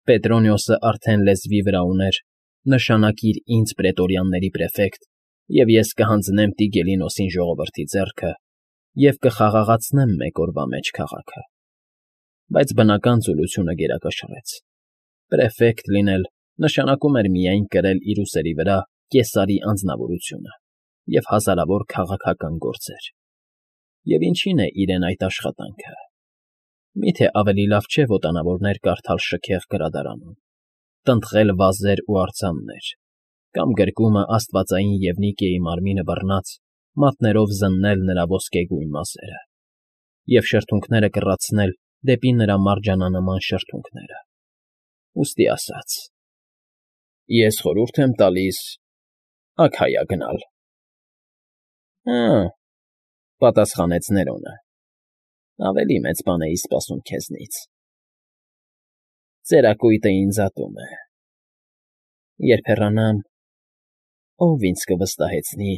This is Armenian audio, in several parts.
Պետրոնիոսը արդեն լեզվի վրա ուներ. «Նշանակիր ինձ պրետորյանների պրեֆեկտ, և ես կհանձնեմ Տիգելինոսին ժողովրդի ձեռքը և կխաղաղացնեմ մեկ օրվա մեջ քաղաքը»։ Բայց բնական ծուլությունը գերակշռեց. պրեֆեկտ լինել նշանակում էր միայն կրել իր ուսերի վրա Կեսարի անձնավորությունը և հազարավոր քաղաքական գործեր։ Եվ ինչին է իրեն այդ աշխատանքը։ Միթե ավելի լավ չէ ոտանավորներ կարդալ շքեղ գրադարանում, տնտղել վազեր ու արձաններ, կամ գրկումը աստվածային Եվնիկիայի մարմինը բռնած մատներով զննել նրա ոսկեգույն մազերը և շրթունքները կռացնել դեպի նրա մարջանանման շրթունքները։ Ուստի ասաց. «Ես խորհուրդ եմ տալիս Աքայա գնալ»։ «Հը՛,֊ պատասխանեց Ներոնը,֊ ավելի մեծ բան էի սպասում քեզնից։ Ծերակույտը ինձ ատում է։ Երբ հեռանամ, ո՞վ ինձ կվստահեցնի,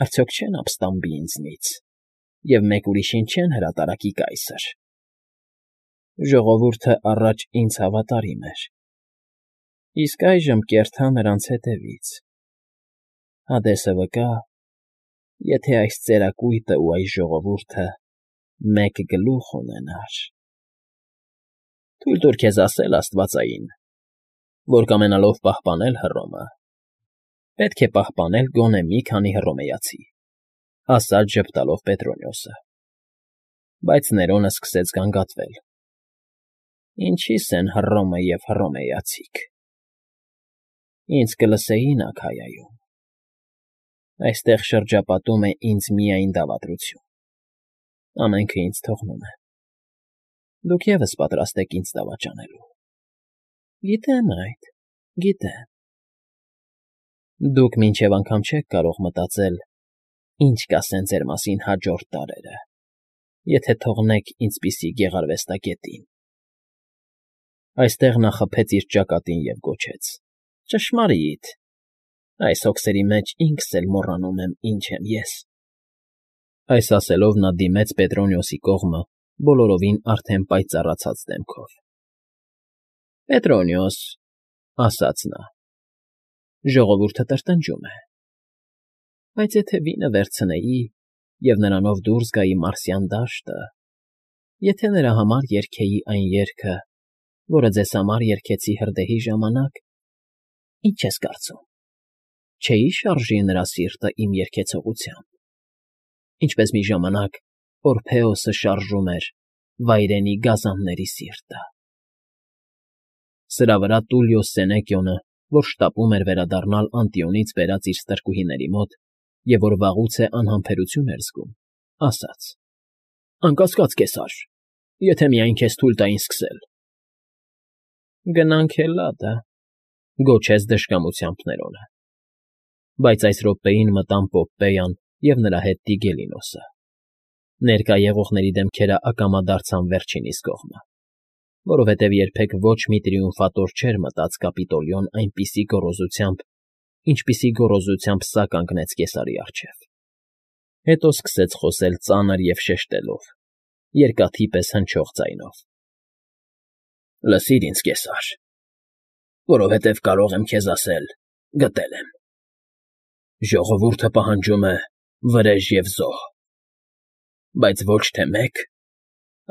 արդյոք չեն ապստամբի ինձնից և մեկ ուրիշին չեն հրատարակի կայսր։ Ժողովուրդը առաջ ինձ հավատարիմ էր, իսկ այժմ կերթա նրանց հետևից։ Հադեսը վկա, եթե այս ծերակույտը ու այս ժողովուրդը մեկ գլուխ ունենար։ Թույլ տուր քեզ ասել աստվածային, որ կամենալով պահպանել Հռոմը, պետք է պահպանել գոնե մի քանի հռոմեացի», ասաց ժպտալով Պետրոնիոսը։ Բայց Ներոնը սկսեց գանգատվել. «Ինչի՞ս են Հռոմը և հռոմեացիք։ Ինձ կլսեին Աքայայում։ Այստեղ շրջապատում է ինձ միայն դավադրություն, ամենքը ինձ թողնում են։ Դուք ևս պատրաստ եք ինձ դավաճանելու։ Գիտեմ այդ, գիտեմ։ Դուք մինչև անգամ չեք կարող մտածել, ինչ կասեն ձեր մասին հաջորդ դարերը, եթե թողնեք ինձպիսի գեղարվեստագետին»։ Այստեղ նա խփեց իր ճակատին և գոչեց. «Ճշմարիտ, այս հոգսերի մեջ ինքս էլ մոռանում եմ՝ ինչ եմ ես»։ Այս ասելով նա դիմեց Պետրոնիոսի կողմը բոլորովին արդեն պայծառացած դեմքով։ «Պետրոնիոս,֊ ասաց նա,֊ ժողովուրդը տրտնջում է, բայց եթե վինը վերցնեի և նրանով դուրս գայի Մարսյան դաշտը, եթե նրա համար երգեի այն երգը, որը ձեզ համար երգեցի հրդեհի ժամանակ, ինչ ես կարծում, չէի՞ շարժի նրա սիրտը իմ երգեցողությամբ, ինչպես մի ժամանակ Օրփեոսը շարժում էր վայրենի գազանների սիրտը»։ Սրա վրա Տուլիոս Սենեկիոնը, որ շտապում էր վերադառնալ Անտիոնից բերած իր ստրկուհիների մոտ և որ վաղուց է անհամբերություն էր զգում, ասաց. «Անկասկած, կեսար, եթե միայն քեզ թույլ տային սկսել»։ «Գնանք Հելլադը», գոչեց դժկամությամբ Ներոնը։ Բայց այս րոպեին մտան Պոպպեյան և նրա հետ Տիգելինոսը։ Ներկա եղողների դեմքերը ակամա դարձան վերջինիս կողմը, որովհետև երբեք ոչ մի տրիումֆատոր չէր մտած Կապիտոլիոն այնպիսի գոռոզությամբ, ինչպիսի գոռոզությամբ սա կանգնեց կեսարի առջև։ Հետո սկսեց խոսել ծանր և շեշտելով, երկաթի պես հնչող ձայնով. «Լսիր ինձ, կեսար, որովհետև կարող եմ քեզ ասել. գտել եմ։ Ժողովուրդը պահանջում է վրեժ և զոհ, բայց ոչ թե մեկ,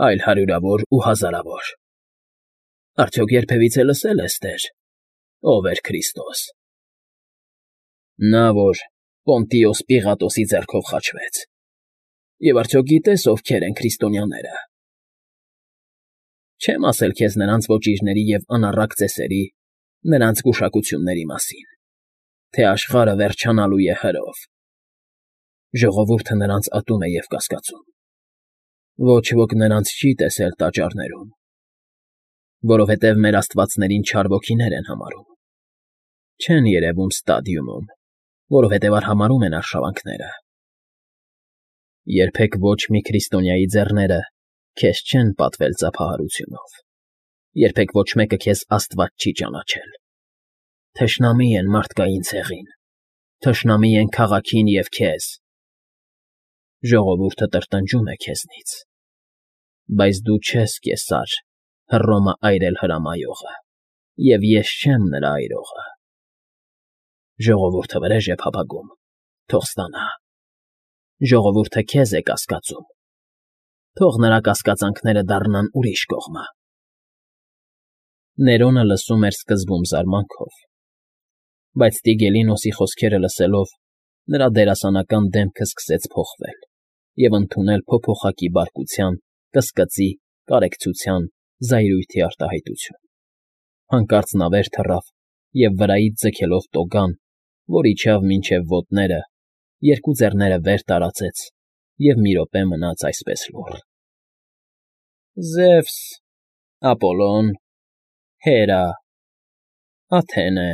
այլ հարյուրավոր ու հազարավոր։ Արդյոք երբևիցե լսել ես, տեր, ով էր Քրիստոս։ Նա, որ Պոնտիոս Պիղատոսի ձեռքով խաչվեց։ Եվ արդյոք գիտես ովքեր են քրիստոնյաները։ Չեմ ասել քեզ նրանց ոճիրների և անառակ ծեսերի, նրանց գուշակությունների մասին, թե աշխարհը վերջանալու է հրով։ Ժողովուրդը նրանց ատում է և կասկածում։ Ոչ ոք նրանց չի տեսել տաճարներում, որովհետև մեր աստվածներին չար ոգիներ են համարում։ Չեն երևում ստադիումում, որովհետև արհամարհում են արշավանքները։ Երբեք ոչ մի քրիստոնյայի ձեռները քեզ չեն պատվել ծափահարությունով, երբեք ոչ մեկը քեզ աստված չի ճանաչել։ Թշնամի են մարդկային ցեղին, թշնամի են քաղաքին և քեզ։ Ժողովուրդը տրտնջում է քեզնից, բայց դու չես Կեսար, Հռոմը այրել հրամայողը։ Եվ ես չեմ նրա այրողը։ Ժողովուրդը վրեժ է փափագում, թող ստանա։ Ժողովուրդը քեզ է կասկածում, թող նրա կասկածանքները դառնան ուրիշ կողմը։ Ներոնը լսում էր սկզբում զարմանքով, բայց Տիգելինոսի խոսքերը լսելով, նրա դերասանական դեմքը սկսեց փոխվել և ընդունել փոփոխակի բարկության, կսկծի, կարեկցության, զայրույթի արտահայտություն։ Հանկարծ նա վեր թռավ և վրայից ձգելով տոգան, որ իջավ մինչև ոտները, երկու ձեռները վեր տարածեց և մի րոպե մնաց այսպես լուռ։ Զևս, Ապոլոն, Հերա, Աթենե,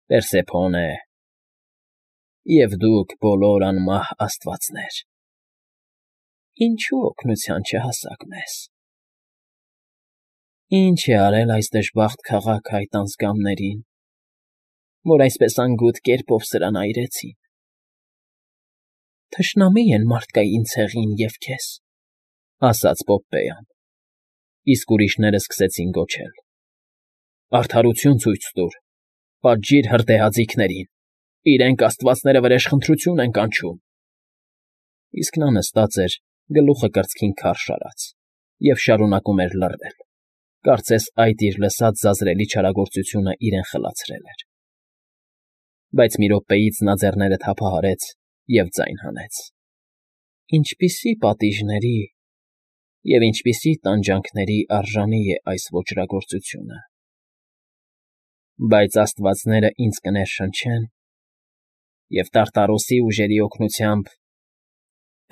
Պերսեփոնե, և դուք բոլոր անմահ աստվածներ, ինչու օգնության չհասաք մեզ։ Ինչ է արել այս դժբախտ քաղաքը այդ անձկամներին, որ այսպես անգութ կերպով սրան այրեցին։ Թշնամի են մարդկային ցեղին և քեզ, ասաց Պոպպեան, իսկ ուրիշները սկսեցին գոչել. Արդարություն ցույց տուր, պատժիր հրդեհաձիգներին, իրենք աստվածները վրեժխնդրություն են կանչում։ Իսկ նա նստած էր, գլուխը կրծքին քարշ արած, և շարունակում էր լռել, կարծես այդ իր լսած զազրելի չարագործությունը իրեն խլացրել էր։ Բայց մի րոպեից նա ձեռները թափահարեց և ձայն հանեց. Ինչպիսի պատիժների և ինչպիսի տանջանքների արժանի է այս ոճրագործությունը։ Բայց աստվածները ինձ կներշնչեն, և Տարտարոսի ուժերի օգնությամբ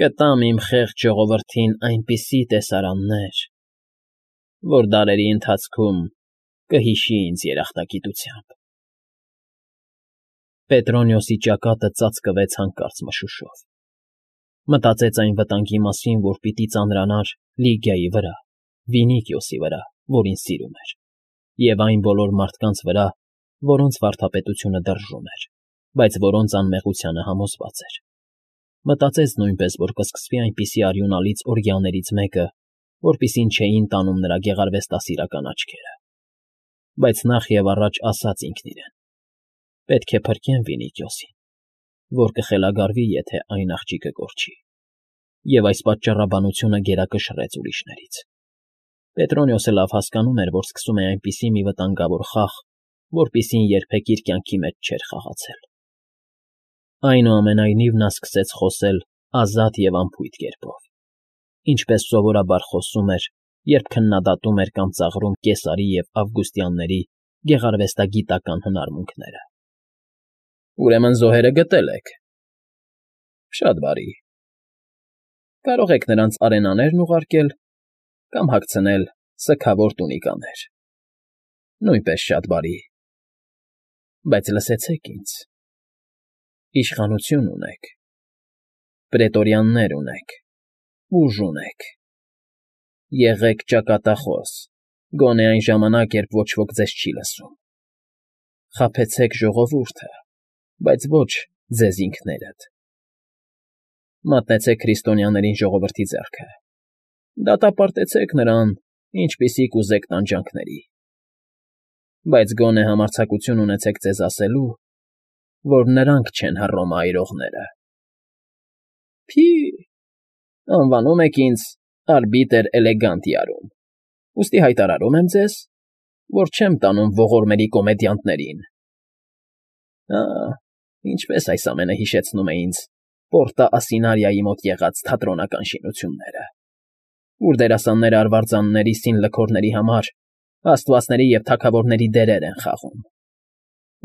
կտամ իմ խեղճ ժողովրդին այնպիսի տեսարաններ, որ դարերի ընթացքում կհիշի ինձ երախտագիտությամբ։ Պետրոնիոսի ճակատը ծածկվեց հանկարծ մշուշով։ Մտածեց այն վտանգի մասին, որ պիտի ծանրանար Լիգիայի վրա, Վինիկիոսի վրա, որին սիրում էր, և այն բոլոր մարդկանց վրա, որոնց վարդապետությունը դրժում էր, բայց որոնց անմեղությանը համոզված էր։ Մտածեց նույնպես, որ կսկսվի այնպիսի արյունալից օրգիաներից մեկը, որպիսին չէին տանում նրա գեղարվեստասիրական աչքերը։ Բայց նախ և առաջ ասաց ինքն իրեն. պետք է փրկեմ Վինիկիոսին, որ կխելագարվի, եթե այն աղջիկը կորչի, և այս պատճառաբանությունը գերակշռեց ուրիշներից։ Պետրոնիոսը լավ հասկանում էր, որ սկսում է այնպիսի մի վտանգավոր խաղ, որպիսին երբեք իր կյանքի մեջ չէր խաղացել։ Այնուամենայնիվ նա սկսեց խոսել ազատ և անփույթ կերպով, ինչպես սովորաբար խոսում էր, երբ քննադատում էր կամ ծաղրում Կեսարի և Ավգուստիանների գեղարվեստագիտական հնարմունքները։ Ուրեմն զոհերը գտել եք։ Շատ բարի։ Կարող եք նրանց արենաներն ուղարկել կամ հագցնել սգավոր տունիկաներ։ Նույնպես շատ բարի։ Բայց լսեցեք ինձ. իշխանություն ունեք, պրետորիաններ ունեք, ուժ ունեք։ Եղեք ճակատախոս, գոնե այն ժամանակ, երբ ոչ ոք ձեզ չի լսում։ Խաբեցեք ժողովուրդը, բայց ոչ ձեզ ինքներդ։ Մատնեցեք քրիստոնյաներին ժողովրդի ձեռքը, դատապարտեցեք նրան, ինչպիսի կուզեք տանջանքների, բայց գոնե համարձակություն ունեցեք ձեզ ասելու, որ նրանք չեն Հռոմը այրողները։ Փի, անվանում եք ինձ արբիտր էլեգանտիարում, ուստի հայտարարում եմ ձեզ, որ չեմ տանում ողորմելի կոմեդիանտներին։ Ինչպես այս ամենը հիշեցնում է ինձ Պորտա Ասինարիայի մոտ եղած թատրոնական շինությունները, ուր դերասանները արվարձանների սին լքորների համար աստվածների և թագավորների դերեր են խաղում,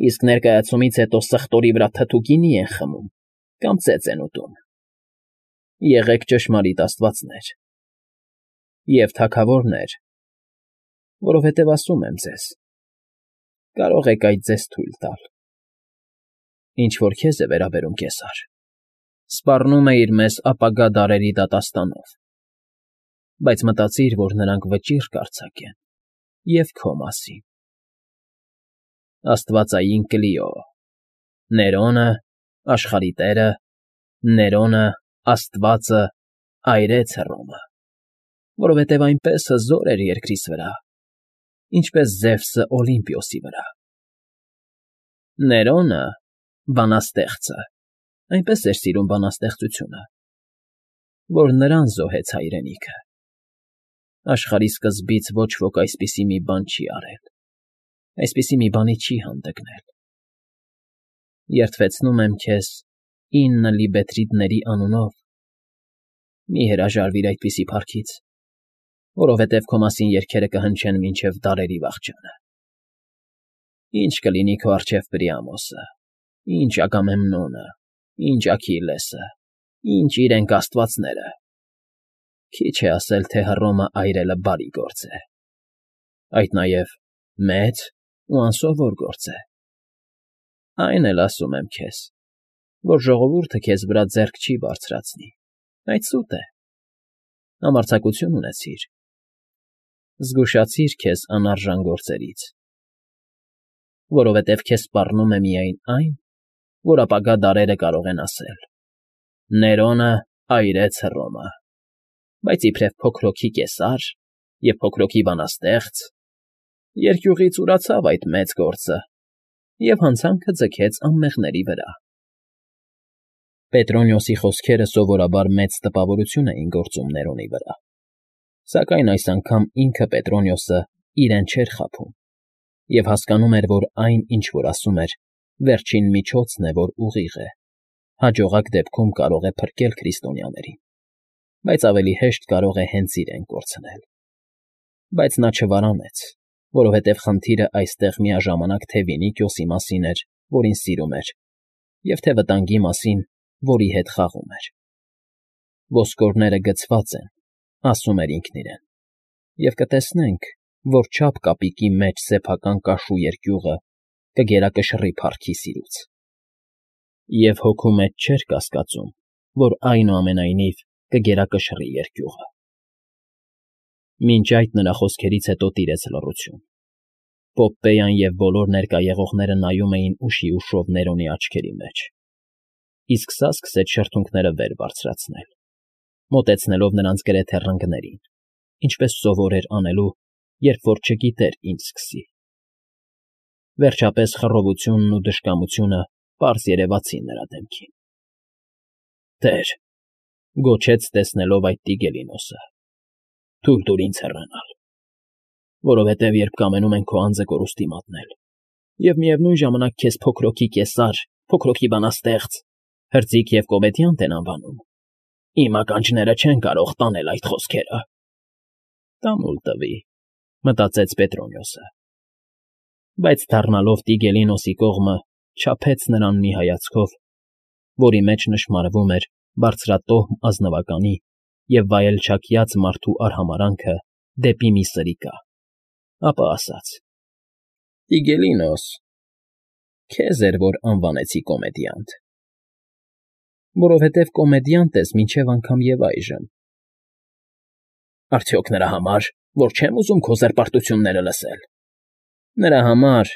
իսկ ներկայացումից հետո սխտորի վրա թթու գինի են խմում կամ ծեծ են ուտում։ Եղեք ճշմարիտ աստվածներ և թագավորներ, որովհետև ասում եմ ձեզ. կարող եք այդ ձեզ թույլ տալ։ Ինչ որ քեզ է վերաբերում, Կեսար, սպառնում է իր մեզ ապագա դարերի դատաստանով, բայց մտածիր, որ նրանք վճիռ կարձակեն և քո մասին։ Աստվածային Կլիո, Ներոնը, աշխարհի տերը, Ներոնը, Աստվածը այրեց Հռոմը, որովհետև այնպես հզոր էր երկրիս վրա, ինչպես Զևսը Օլիմպիոսի վրա։ Ներոնը, բանաստեղծը, այնպես էր սիրում բանաստեղծությունը, որ նրան զոհեց հայրենիքը։ Աշխարհի սկզբից ոչ ոք այսպիսի մի բան չի արել, այսպիսի մի բանի չի հանդգնել։ Երդվեցնում եմ քեզ 9 լիբետրիտների անունով, մի հրաժարվիր այդպիսի փառքից, որովհետև քո մասին երգերը կհնչեն մինչև դարերի վախճանը։ Ինչ կլինի քո առջև Պրիամոսը, ինչ Ագամեմնոնը, ինչ Աքիլեսը, ինչ իրենք աստվածները։ Քիչ է ասել, թե Հռոմը այրելը բարի գործ է, այդ նաև մեծ ու անսովոր գործ է։ Այն էլ ասում եմ քեզ, որ ժողովուրդը քեզ վրա ձեռք չի բարձրացնի, այդ սուտ է։ Համարձակություն ունեցիր, զգուշացիր քեզ անարժան գործերից, որովհետև քեզ սպառնում է միայն այն, որ ապագա դարերը կարող են ասել. Ներոնը այրեց Հռոմը, բայց իբրև փոքրոքի կեսար և փոքրոքի բանաստեղծ, երկյուղից ուրացավ այդ մեծ գործը և հանցանքը ձգեց անմեղների վրա։ Պետրոնիոսի խոսքերը սովորաբար մեծ տպավորություն էին գործում Ներոնի վրա, սակայն այս անգամ ինքը Պետրոնիոսը իրեն չէր խաբում և հասկանում էր, որ այն, ինչ որ ասում էր, վերջին միջոցն է, որ ուղիղ է, հաջողակ դեպքում կարող է փրկել քրիստոնյաներին, բայց ավելի հեշտ կարող է հենց իրեն կորցնել։ Բայց նա չվարանեց, որովհետև խնդիրը այստեղ միաժամանակ թե Վինիկիոսի մասին էր, որին սիրում էր, և թե վտանգի մասին, որի հետ խաղում էր։ Ոսկորները գցված են, ասում էր ինքն իրեն, և կտեսնենք, որ չափ կապիկի մեջ սեփական կաշու երկյուղը կգերակշռի փառքի սիրուց։ Եվ հոգու մեջ չէր կասկածում, որ այնուամենայնիվ կգերակշռի երկյուղը։ Մինչ այդ նրա խոսքերից հետո տիրեց լռություն։ Պոպպեյան և բոլոր ներկա եղողները նայում էին ուշիուշով Ներոնի աչքերի մեջ, իսկ սա սկսեց շրթունքները վեր բարձրացնել, մոտեցնելով նրանց գրեթե ռնգներին, ինչպես սովոր էր անելու, երբ որ չգիտեր ինչ սկսի։ Վերջապես խռովությունն ու դժկամությունը պարզ երևացին նրա դեմքին։ Տեր, գոչեց տեսնելով այդ Տիգելինոսը, թույլ տուր ինձ հեռանալ, որովհետև երբ կամենում են քո անձը կորուստի մատնել, և միևնույն ժամանակ քեզ փոքրոքի կեսար, փոքրոքի բանաստեղծ, հրձիկ և կոմեդիանտ են անվանում, իմ ականջները չեն կարող տանել այդ խոսքերը։ Տամուլ տվի, մտածեց Պետրոնիոսը, բայց դառնալով Տիգելինոսի կողմը չափեց նրան մի հայացքով, որի մեջ նշմարվում էր բարձրատոհմ ազնվականի և վայելչակյաց մարդու արհամարհանքը դեպի մի սրիկա, ապա ասաց. Տիգելինոս, քեզ էր, որ անվանեցի կոմեդիանտ, որովհետև կոմեդիանտ ես մինչև անգամ և այժմ։ Արդյոք նրա համար, որ չեմ ուզում քո զրպարտությունները լսել։ Նրա համար,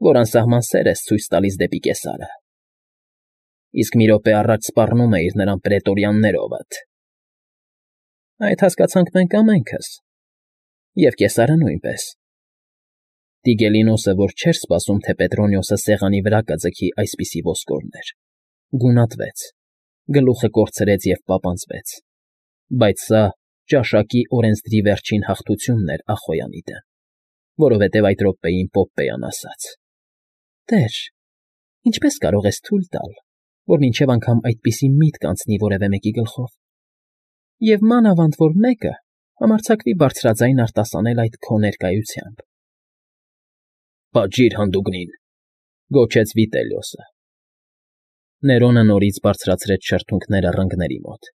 որ անսահման սեր ես ցույց տալիս դեպի կեսարը։ Իսկ մի րոպե առաջ սպառնում էիր նրան պրետորյաններովդ։ Այդ հասկացանք մենք ամենքս, և կեսարը նույնպես։ Տիգելինոսը, որ չէր սպասում, թե Պետրոնիոսը սեղանի վրա կձգի այսպիսի ոսկորներ, գունատվեց, գլուխը կորցրեց և պապանձվեց, բայց սա ճաշակի օրենսդրի վերջին հաղթությունն էր Ախոյանի դեմ, որովհետև այդ րոպեին Պոպպեյան ասաց. Տեր, ինչպես կարող ես թույլ տալ, որ մինչև անգամ այդպիսի միտք անցնի որևէ մեկի գլխով, և մանավանդ որ մեկը համարձակվի բարձրաձայն արտասանել այդ քո ներկայությամբ։ Պատժիր հանդուգնին, գոչեց Վիտելիոսը։ Ներոնը նորից բարձրացրեց շրթունքները ռնգների մոտ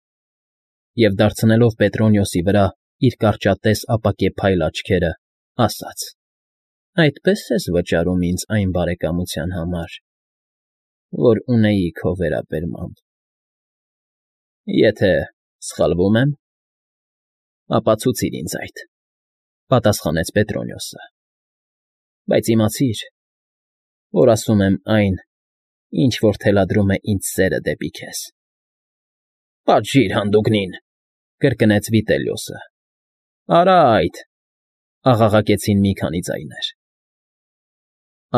և, դարձնելով Պետրոնիոսի վրա իր կարճատես ապակեպայլ աչքերը, ասաց. Այդպես ես վճարում ինձ այն բարեկամության համար, որ ունեի քո վերաբերմամբ։ Եթե սխալվում եմ, ապացուցիր ինձ այդ, պատասխանեց Պետրոնիոսը, բայց իմացիր, որ ասում եմ այն, ինչ որ թելադրում է ինձ սերը դեպի քեզ։ Պատժիր հանդուգնին, կրկնեց Վիտելիոսը։ Արա այդ, Աղաղակեցին մի քանի ձայներ։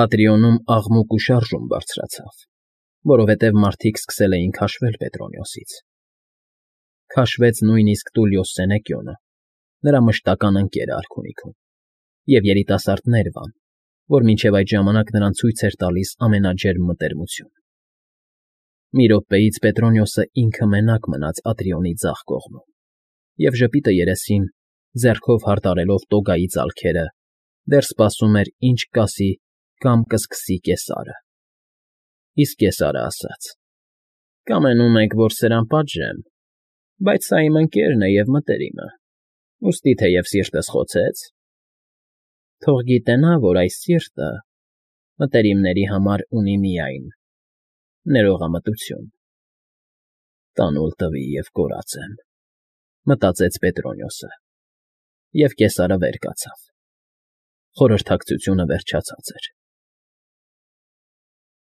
Ատրիոնում աղմուկ ու շարժում բարձրացավ, որովհետև մարդիկ սկսել էին քաշվել Պետրոնիոսից. քաշվեց նույնիսկ Տուլիոս Սենեկիոնը, նրա մշտական ընկերը արքունիքում, և երիտասարդ Ներվան, որ մինչև այդ ժամանակ նրան ցույց էր տալիս ամենաջերմ մտերմություն։ Մի րոպեից Պետրոնիոսը ինքը մենակ մնաց Ատրիոնի ձախ կողմում և ժպիտը երեսին, ձեռքով հարդարելով տոգայի ծալքերը, դեռ սպասում էր, ինչ կասի կամ կսկսի Կեսարը։ Իսկ Կեսարը ասաց. «Կամենում եք, որ սրան պատժեմ, բայց սա իմ ընկերն է և մտերիմը, ուստի թեև սիրտս խոցեց, թող գիտենա, որ այս սիրտը մտերիմների համար ունի միայն ներողամտություն»։ «Տանուլ տվի և կորածեմ», մտածեց Պետրոնիոսը, և Կեսարը վեր կացավ։ Խորհրդակցությունը վերջացած էր։